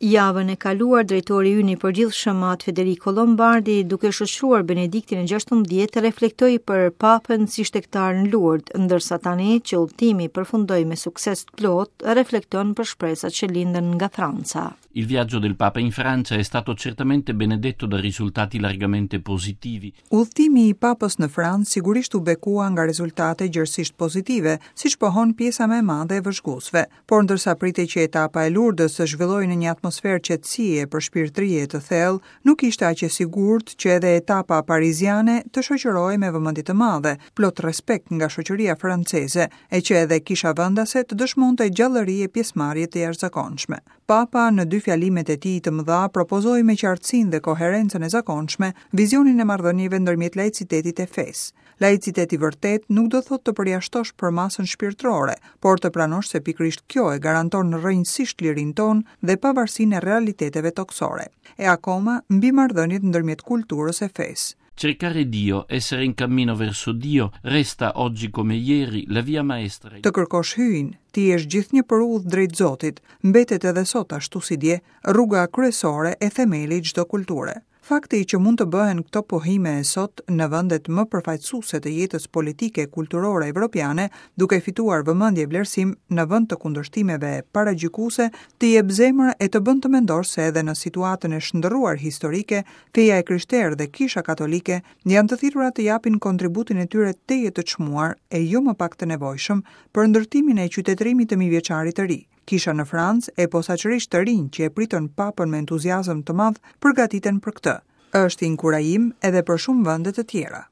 Javën e kaluar, drejtori ynë i përgjithshëm At Federico Lombardi, duke shoqëruar Benediktin e 16, reflektoi për Papën si shtegtar në Lourdes, ndërsa tani që udhëtimi përfundoi me sukses të plotë, reflekton për shpresat që lindën nga Franca. Il viaggio del Papa in Francia è stato certamente benedetto da risultati largamente positivi. Udhëtimi i Papës në Francë sigurisht u bekua nga rezultate gjerësisht pozitive, siç pohon pjesa më e madhe e vëzhguesve. Por ndërsa pritej që etapa e Lurdës të zhvillohej në një atmosferë qetësie e përshpirtërie të thellë, nuk ishte aq e sigurt që edhe etapa pariziane të shoqërohej me vëmendje të madhe, plot respekt nga shoqëria franceze, e që edhe kisha vendase të dëshmonte gjallëri e pjesëmarrje të jashtëzakonshme. Papa në dy fjalimet e tij të mëdha propozoi me qartësinë dhe koherencën e zakonshme vizionin e marrëdhënieve ndërmjet laicitetit e fesë. Laicitet i vërtetë nuk do thotë të përjashtosh përmasën shpirtërore, por të pranosh se pikërisht kjo e garanton rrënjësisht lirinë tonë dhe pavarësinë e realiteteve tokësore. E akoma, mbi marrëdhëniet ndërmjet kulturës e fesë. Cercare Dio, essere in cammino verso Dio, resta oggi come ieri la via maestra. Të kërkosh Hyjin, të jesh gjithnjë për udhë drejt Zotit, mbetet edhe sot ashtu si dje, rruga kryesore e themeli i çdo kulture. Fakti që mund të bëhen këto pohime sot në vendet më përfaqësuese të jetës politike e kulturore evropiane, duke fituar vëmendje e vlerësim në vend të kundërshtimeve paragjykuese, të jep zemër e të bën të mendosh se edhe në situatën e shndërruar historike, feja e krishterë dhe Kisha Katolike janë të thirrura të japin kontributin e tyre tejet të çmuar e jo më pak të nevojshëm për ndërtimin e qytetërimit të mijëvjeçarit të ri. Kisha në Francë, e posaçërisht të rinjtë që e pritën Papën me entuziazëm të madh, përgatiten për këtë. Është inkurajim edhe për shumë vende të tjera.